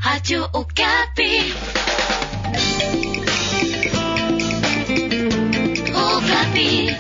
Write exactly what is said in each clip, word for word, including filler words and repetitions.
Radio Okapi. Okapi.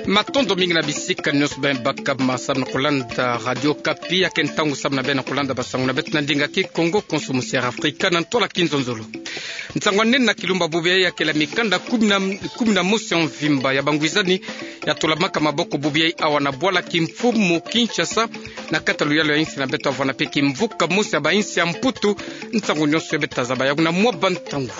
Matondo mingi na bisika nyonso beno baka ma samu na kulanda Radio Okapi, ya ke ntangu samu na beno kulanda basangu na beto na ndinga Kikongo, konso musiara Afrika na ntwala Kinzonzolo. Nsangw'anene na kilumbu bubu yayi ya kele mikanda kumi na, kumi na mosi ya mvimba ya bangwizani ya tulamaka maboko bubu yayi awa na bwala kimfumu Kinshasa, na kati ya luyalu ya insi na beto, avwana mpe kimvuka mosi ya bainsi ya Mputu. Nsangu nyonso ya beto tazaba yawu na mwa bantangu.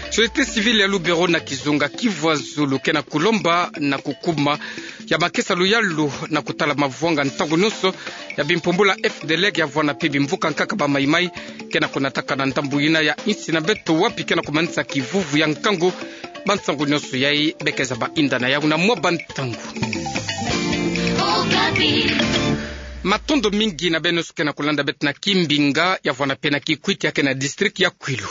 Société civile ya Lubero na kizunga Kivu ya Zulu ke na kulomba na kukuma ya makesa luyalu na kutala mavwanga ntangu nyonso ya bimpumbulu ya F D L R, ya avwana mpe bimvuka nkaka ba Mai-Mai, ke na kunataka na ndambu yina ya insi na beto, wapi ke na kumanisa kivuvu ya nkangu. Bansangu nyonso yayi beke zaba inda na yawu na mwa bantangu. Matondo mingi na beno nyonso ke na kulanda beto na Kimbinga, ya avwana mpe na Kikwit ya ke na district ya Kwilu.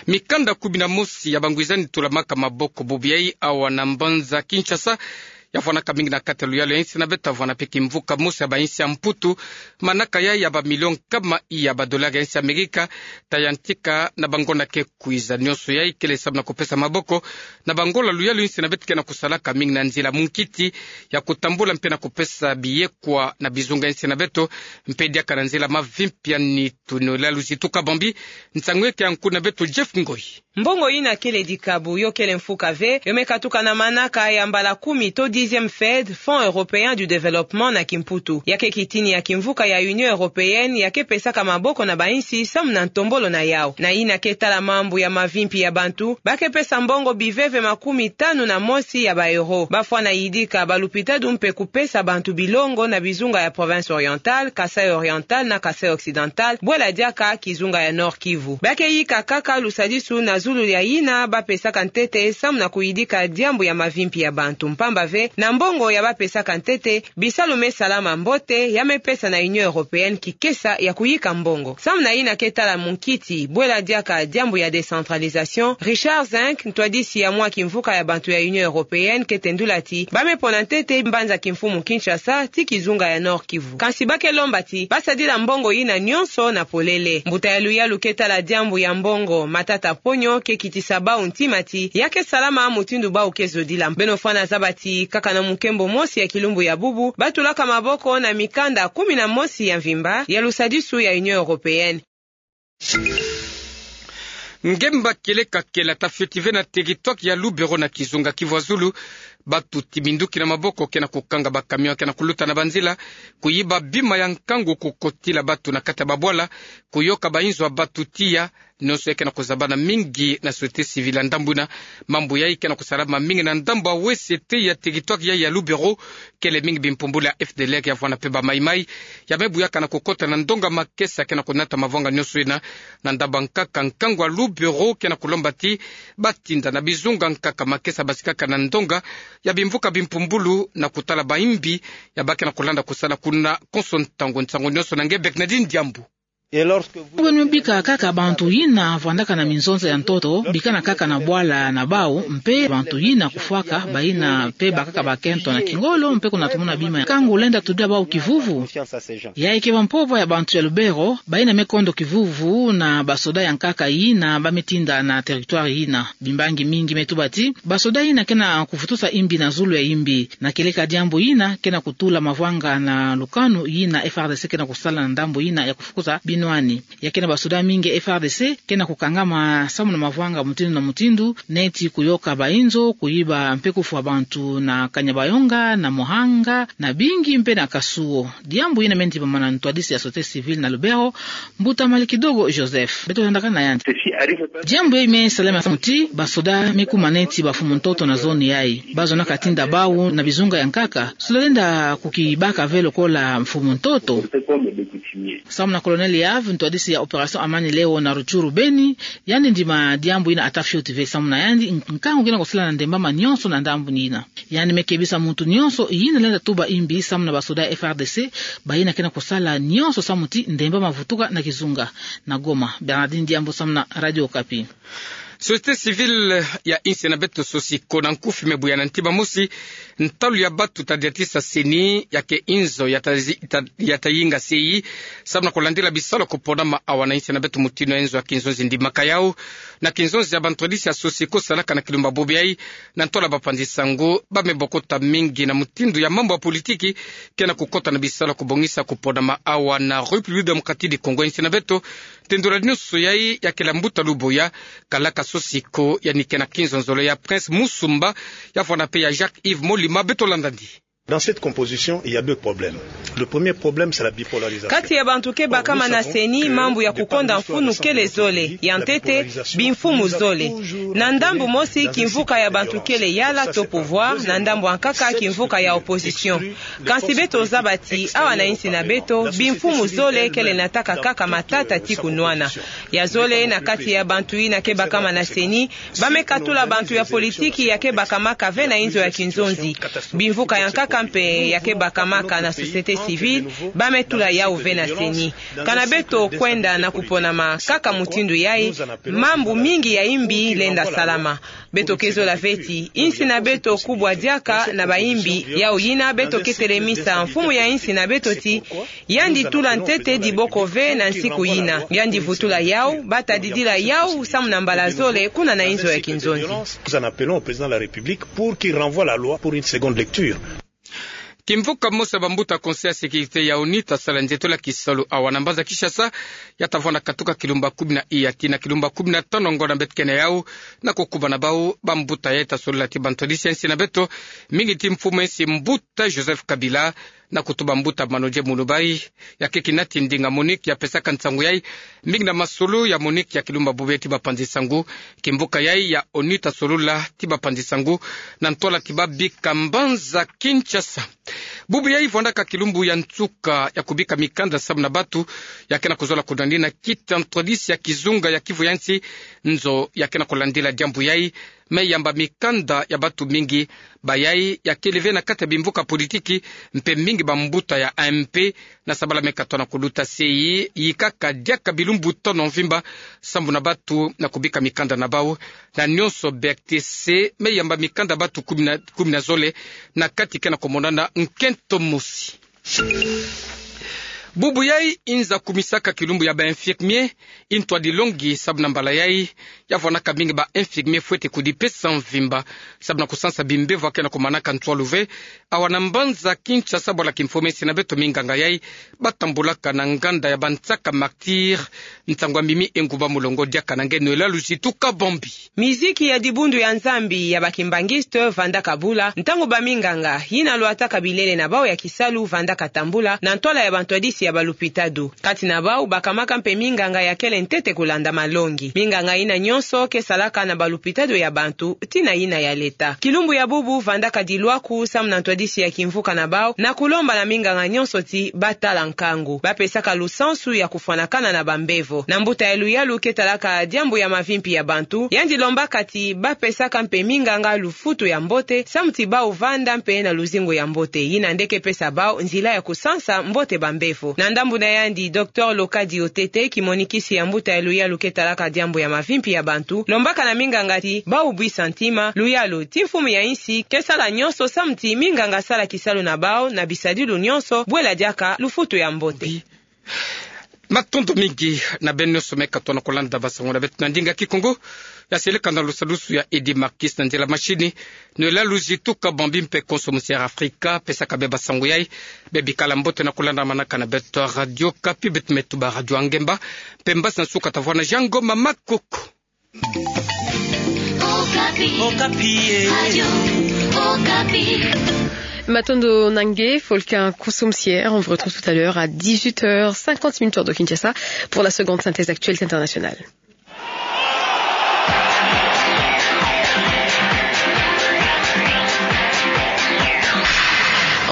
Mikanda kumi na mosi ya bangwizani tulamaka maboko bubu yayi awa na mbanza Kinshasa, ya avwanaka mingi na kati ya luyalu ya insi na beto, avwana mpe kimvuka mosi ya bainsi ya Mputu. Manaka yayi ya bamilio nkama iya badolari ya insi ya Amerika, ta yantika na bangonda ke kwiza. Nyonso yayi kele samu na kupesa maboko na bangola luyalu insi na beto ke na kusalaka mingi na nzila munkiti ya kutambula mpe na kupesa biyekwa na bizunga insi na beto, mpe diaka na nzila mavimpi ya nitu. Tunolalo zituka bambi, nsangu yeke ya nkuna beto Jeff Ngoi. Mbongo yina kele dikabu, yo kele mfuka ve, yo me katuka na manaka ya mbala kumi to dixième FED, Fonds Européen du Développement na kimputu. Ya ke kitini ya kimvuka ya Union Européenne, ya ke pesaka maboko na bainsi samu na ntombolo na yawu. Na yina ke tala mambu ya mavimpi ya bantu, ba ke pesa mbongo biveve makumi tanu na mosi ya ba euro. Ba fwana yidika balupitadu mpe kupesa bantu bilongo na bizunga ya Province Orientale, Kasaï Oriental na Kasaï Occidental, bwela diaka kizunga ya Nord-Kivu. Ba ke yika kaka lusadisu na zulu ya yina ba pesaka ntete samu na kuyidika diambu ya mavimpi ya bantu, mpamba ve na mbongo ya ba pesaka ntete, bisalu me salama mbote, ya me pesa na Union Européenne kikesa ya kuyika mbongo. Samu na yina ke tala munkiti, bwela diaka diambu ya décentralisation, Richard Zenck, ntwadisi ya mwa kimvuka ya bantu ya Union Européenne, ke tendula ti ba me pona ntete mbanza kimfumu Kinshasa ti kizunga ya Nord-Kivu. Kansi ba ke lomba ti ba sadila mbongo yina nyonso na polele. Mbuta ya luyalu ke tala diambu ya mbongo, Matata Ponyo, ke kitisa bawu ntima ti ya ke salama mutindu bawu ke zodila. Beno fwana zaba ti kaka na munkembo mosi ya kilumbu ya bubu, ba tulaka maboko na mikanda kumi na mosi ya mvimba ya lusadisu ya Union Européenne. Ngemba kieleka kele ata fioti ve na territoire ya Lubero na kizunga Kivu ya Zulu. Batuti minduki na maboko ke na kukanga ba camion ke na kuluta na banzila, kuyiba bima ya nkangu, kukotila batu na kati ya babwala, kuyoka bainzo ya batu tiya. Nyonso ya ke na kuzabana mingi na société civile ya ndambu yina. Mambu yayi ke na kusalama mingi na ndambu ya west ya territoire yayi ya Lubero, kele mingi bimpumbulu ya F D L R, ya vwanda mpe ba Mai-Mai, ya me buyaka na kukota na ndonga makesa ke na kunata mavwanga nyonso yina. Na ndambu ya nkaka, nkangu ya Lubero ke na kulomba ti ba tinda na bizunga nkaka makesa basikaka na ndonga ya bimvuka bimpumbulu na kutala ba imbi ya ba ke na kulanda kusala kuna konso ntangu. Nsangu nyonso na nge Bernardine Diambu. Beno bika kaka bantu yina vwandaka na minzonza ya ntoto, bikana kaka na bwala na bawu, mpe bantu yina kufwaka, bayina mpe bakaka bakento na kingolo, mpe kuna tumona bima ya nkangu lenda tudila bawu kivuvu. Yayi ke ba mpova ya bantu ya Lubero, bayina me kondo kivuvu na basoda ya nkaka yina ba me tinda na territoire yina. Bimbangi mingi me tuba ti basoda yina ke na kuvutusa imbi na zulu ya imbi. Na kieleka diambu yina ke na kutula mavwanga na lukanu yina F R D C ke na kusala na ndambu yina ya kufukuza binwani. Ya ke na basoda mingi F R D C ke na kukangama samu na mavwanga mutindu na mutindu, neti kuyoka bainzo, kuyiba mpe kufwa bantu na Kanyabayonga, na Muhanga, na Bingi mpe na Kasuo. Diambu yina me ndimamana na ntwadisi ya société civile na Lubero, Mbuta Malikidogo Joseph. Beto landaka na yandi. Diambu yayi me salama samu ti basoda me kuma neti ba mfumu ntoto na zone yayi. Ba zonaka tinda bawu na bizunga ya nkaka. Soda lenda kukibaka ve lokola mfumu ntoto. Samu na Colonel Yave, ntwadisi ya opération Amani Leo na Rutshuru Beni, yandi ndima diambu yina ata fioti ve. Samu na yandi, nkangu ke na kusala na ndembama nyonso na ndambu yina. Yandi me kebisa muntu nyonso yina lenda tuba imbi samu na basoda ya F R D C, bayina ke na kusala nyonso samu ti ndembama vutuka na kizunga. Na Goma, Bernardine Diambu samu na Radio Okapi. Société civile ya insi na beto, Sosiko, na nkufi me buya na ntima mosi Ntalu ya batu tadiatisa CENI, ya ke inzo ya ta-, ta-, ya tayinga sei, samu na kulandila bisalu kuponama awa na insi na beto mutindu ya inzo ya kinzonzi ndimaka yau, na kinzonzi ya bantwadisi ya SOCECO salaka na kilumbu bubu yai, na ntola bapanzi nsangu, bame bokota mingi na mutindu ya mambu ya politiki, ke na kukota na bisalu kubongisa kuponama awa na République Démocratique du Congo, insi na beto, tendula nyonso yai ya kela mbuta luboya, kalaka SOCECO, yandi ke na kinzonzolo ya Prince Musumba, ya fwana mpe ya Jacques Yves Molima, beto landa ndi. Dans cette composition, il y a deux problèmes. Le premier problème, c'est la bipolarisation. Kati ya bantu ke bakama na CENI, mambu ya kukonda mfunu kele zole, ya ntete, bimfumu zole. Na ndambu mosi, kimvuka ya bantu kele yala to pouvoir, na ndambu ya nkaka, kimvuka ya opposition. Kansi beto zaba ti, awa na insi na beto, bimfumu zole kele nataka kaka matata ti kunwana. Ya zole, na kati ya bantu yina ke bakama na CENI, bame katula bantu ya politiki ya ke bakamaka ve na inzo ya kinzonzi. Bimvuka ya nkaka mpe ya ke bakamaka na société civile, bame tula yau ve na CENI. Kana beto kwenda na kuponama kaka mutindu yai, mambu mingi ya imbi lenda salama. Beto ke zola ve ti, insi na beto kubwa diaka na bayimbi, yau yina beto ke telemisa mfumu ya insi na beto ti, yandi tula ntete diboko ve na nsiku yina. Yandi vutula yau, bata didila yau, samu na mbala zole, kuna na inzo ya kinzonzi. Nous en appelons au président de la République pour qu'il renvoie la loi pour une seconde lecture. Kimvuka mosi ya bambuta Conseil ya sécurité ya ONU ta sala nzietolo ya kisalu awa na mbanza Kinshasa, ya ta vwanda katuka kilumbu kumi na iya tii na kilumbu kumi na tano ngonda beto ke na yau, na kukuba na bau, bambuta yai ta solola ti bantwadisi ya insi na beto, mingi ti mfumu ya insi mbuta Joseph Kabila, na kutuba mbuta Manodje Mouloubaye, ya ke kina ti ndinga MONUC ya pesaka nsangu yai, mingi na masolo ya MONUC ya kilumbu bubu yai ti bapanzi nsangu, kimvuka yai ya ONU ta solola ti bapanzi nsangu, na ntola ti babika mbanza Kinshasa. Bubu yai vwandaka kilumbu ya nsuka ya kubika mikanda samu na batu, ya ke na kuzola kunwanina kiti ntwadisi ya kizunga ya Kivu ya nsi, nzo ya ke na kulandila diambu yai, me yamba mikanda ya batu mingi, bayai ya kele ve na kati ya bimvuka politiki, mpe mingi bambuta ya AMP, na sabala me katona kuluta sei, yikaka diaka bilumbu tano mvimba, sambu na batu na kubika mikanda na bau, na nyonso B R T C, me yamba mikanda batu kumi na, kumi na zole, na kati ke na kumonana nkento mosi. Bubu yai inza kumisaka kilumbu ya ba infirmier, intwadi longi sabu na mbala yai, ya vwanaka mingi ba infirmier fwete kudipesa mvimba, sabu na kusansa bimbevo ya ke na kumanaka ntwalu ve, awa na mbanza Kinshasa bwala kimfomensi na beto minganga yai, batambulaka na nganda ya bansaka martyr, ntangu ya mimi engumba mulongo diaka na nge Noëlla Luzitu Kabambi. Miziki ya dibundu ya Nzambi ya ba kimbanguiste vandaka bula, ntangu ba minganga, yina lwataka bilele na bau ya kisalu vandaka tambula, na ntwala ya bantwadisi ya balupitadu. Kati na bau, bakamaka mpe minganga ya kele ntete kulanda malongi. Minganga yina nyonso ke salaka na balupitadu ya bantu, tii na yina ya leta. Kilumbu ya bubu vandaka dilwaku samu na ntwadisi ya kimvuka na bau, na kulomba na minganga nyonso ti batala nkangu. Bapesaka lusansu ya kufwanakana na bambevo. Na mbuta ya luyalu ke talaka diambu ya mavimpi ya bantu, yandi lombaka ti bapesaka mpe minganga lufutu ya mbote, samu ti bau vanda mpe na luzingu ya mbote. Yina nde ke pesa bau nzila ya kusansa mbote bambevo. Na ndambu na yandi, Docteur Lokadi Otete, kimonikisi ya mbuta ya luyalu ke talaka diambu ya mavimpi ya bantu, lombaka na minganga ti bau bwisa ntima, luyalu, ti mfumu ya insi, ke sala nyonso samu ti minganga sala kisalu na bau, na bisadilu nyonso, bwela diaka lufutu ya mbote. Matondo mingi na beno nyonso me katona kulanda basangu na beto na ndinga Kikongo. Ya seleka na lusadusu ya Eddy Marquis na nzila machine. Noëlla Luzitu Kabambi mpe konso musi Air Afrika pesaka be basangu yai. Be bikala mbote na kulanda manaka na beto Radio Okapi, beto me tuba Radio Angemba. Mpe mbasi na nsuka tavwanda Jean Ngoma Makoko. Okapi. Okapi, eh. Radio Okapi. Matondo na nge, Volcan Koussoumsier. On vous retrouve tout à l'heure à dix-huit heures cinquante minutes, heure de Kinshasa, pour la seconde synthèse d'actualité internationale.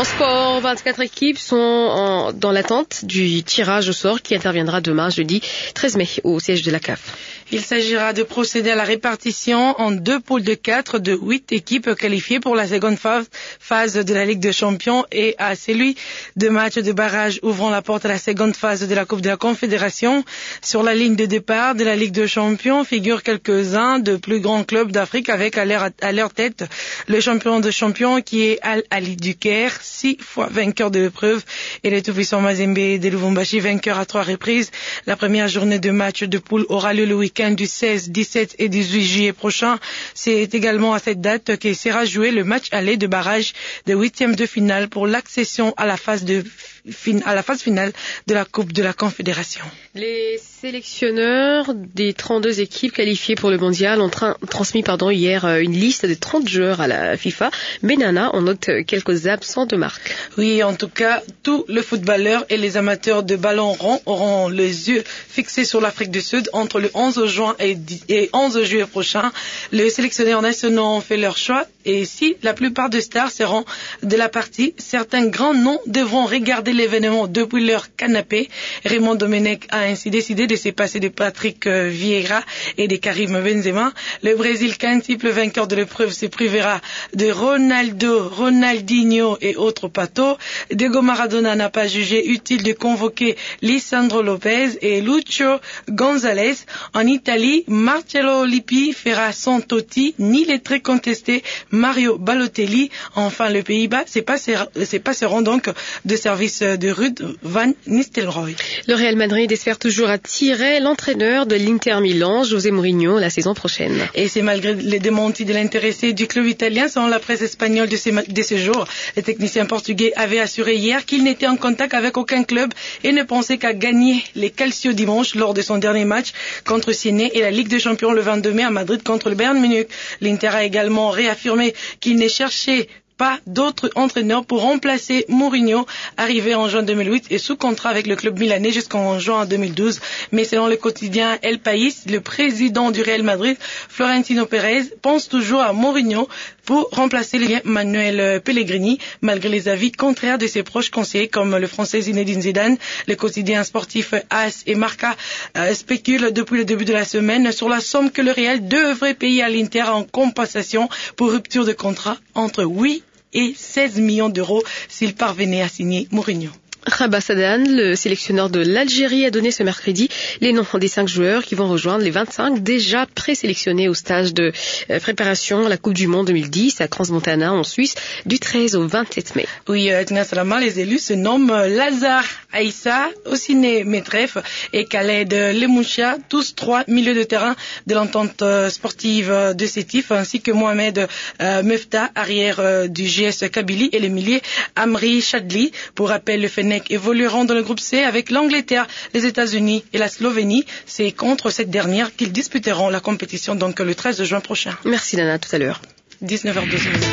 En sport, vingt-quatre équipes sont en- dans l'attente du tirage au sort qui interviendra demain, jeudi treize mai, au siège de la caf. Il s'agira de procéder à la répartition en deux poules de quatre de huit équipes qualifiées pour la seconde phase, phase de la Ligue des Champions et à celui de matchs de barrage ouvrant la porte à la seconde phase de la Coupe de la Confédération. Sur la ligne de départ de la Ligue des Champions figurent quelques-uns de plus grands clubs d'Afrique avec à leur, à leur tête le champion de champions qui est Al Ahly du Caire, six fois vainqueur de l'épreuve, et le tout-puissant Mazembe de Lubumbashi, vainqueur à trois reprises. La première journée de match de poule aura lieu le week-end du seize, dix-sept et dix-huit juillet prochain. C'est également à cette date que sera joué le match aller de barrage de huitième de finale pour l'accession à la phase de fin- à la phase finale de la Coupe de la Confédération. Les sélectionneurs des trente-deux équipes qualifiées pour le mondial ont tra- transmis, pardon, hier, euh, une liste de trente joueurs à la FIFA. Mais Nana, on note quelques absents de marque. Oui, en tout cas, tous les footballeurs et les amateurs de ballon rond auront les yeux fixés sur l'Afrique du Sud entre le onze juin et dix- et onze juillet prochain. Les sélectionneurs nationaux ont fait leur choix. Et si la plupart des stars seront de la partie, certains grands noms devront regarder l'événement depuis leur canapé. Raymond Domenech a ainsi décidé de se passer de Patrick, euh, Vieira et de Karim Benzema. Le Brésil, quintuple vainqueur de l'épreuve, se privera de Ronaldo, Ronaldinho et autres Pato. Diego Maradona n'a pas jugé utile de convoquer Lisandro Lopez et Lucho Gonzalez. En Italie, Marcello Lippi fera sans Totti ni le très contesté Mario Balotelli. Enfin, les Pays-Bas se passera, se passeront donc de service de Ruud van Nistelrooy. Le Real Madrid espère toujours attirer l'entraîneur de l'Inter Milan, José Mourinho, la saison prochaine. Et c'est malgré les démentis de l'intéressé du club italien, selon la presse espagnole de ces ma- de ce jour. Le technicien portugais avait assuré hier qu'il n'était en contact avec aucun club et ne pensait qu'à gagner les Calcio dimanche lors de son dernier match contre Sienne et la Ligue des Champions le vingt-deux mai à Madrid contre le Bayern Munich. L'Inter a également réaffirmé qu'il ne cherchait pas d'autre entraîneur pour remplacer Mourinho, arrivé en juin deux mille huit et sous contrat avec le club milanais jusqu'en juin deux mille douze. Mais selon le quotidien El País, le président du Real Madrid, Florentino Pérez, pense toujours à Mourinho pour remplacer le Manuel Pellegrini, malgré les avis contraires de ses proches conseillers comme le Français Zinedine Zidane. Le quotidien sportif AS et Marca, euh, spéculent depuis le début de la semaine sur la somme que le Real devrait payer à l'Inter en compensation pour rupture de contrat entre huit et seize millions d'euros s'il parvenait à signer Mourinho. Rabat Sadane, le sélectionneur de l'Algérie, a donné ce mercredi les noms des cinq joueurs qui vont rejoindre les vingt-cinq déjà présélectionnés au stage de, euh, préparation à la Coupe du Monde deux mille dix à Crans-Montana en Suisse du treize au vingt-sept mai. Oui, euh, Edna Salama, les élus se nomment, euh, Lazare Aissa, Ossine Metref et Khaled Lemoucha, tous trois milieux de terrain de l'entente, euh, sportive, euh, de Sétif, ainsi que Mohamed, euh, Mefta, arrière, euh, du G S Kabylie, et le milieu Amri Chadli. Pour rappel, le Fennec évolueront dans le groupe C avec l'Angleterre, les États-Unis et la Slovénie. C'est contre cette dernière qu'ils disputeront la compétition, donc le treize juin prochain. Merci Nana, à tout à l'heure. Dix-neuf heures douze minutes.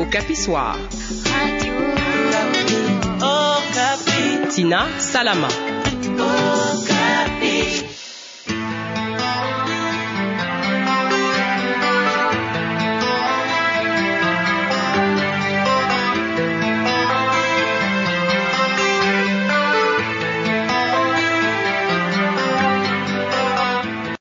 Okapi Soir. Tina Salama.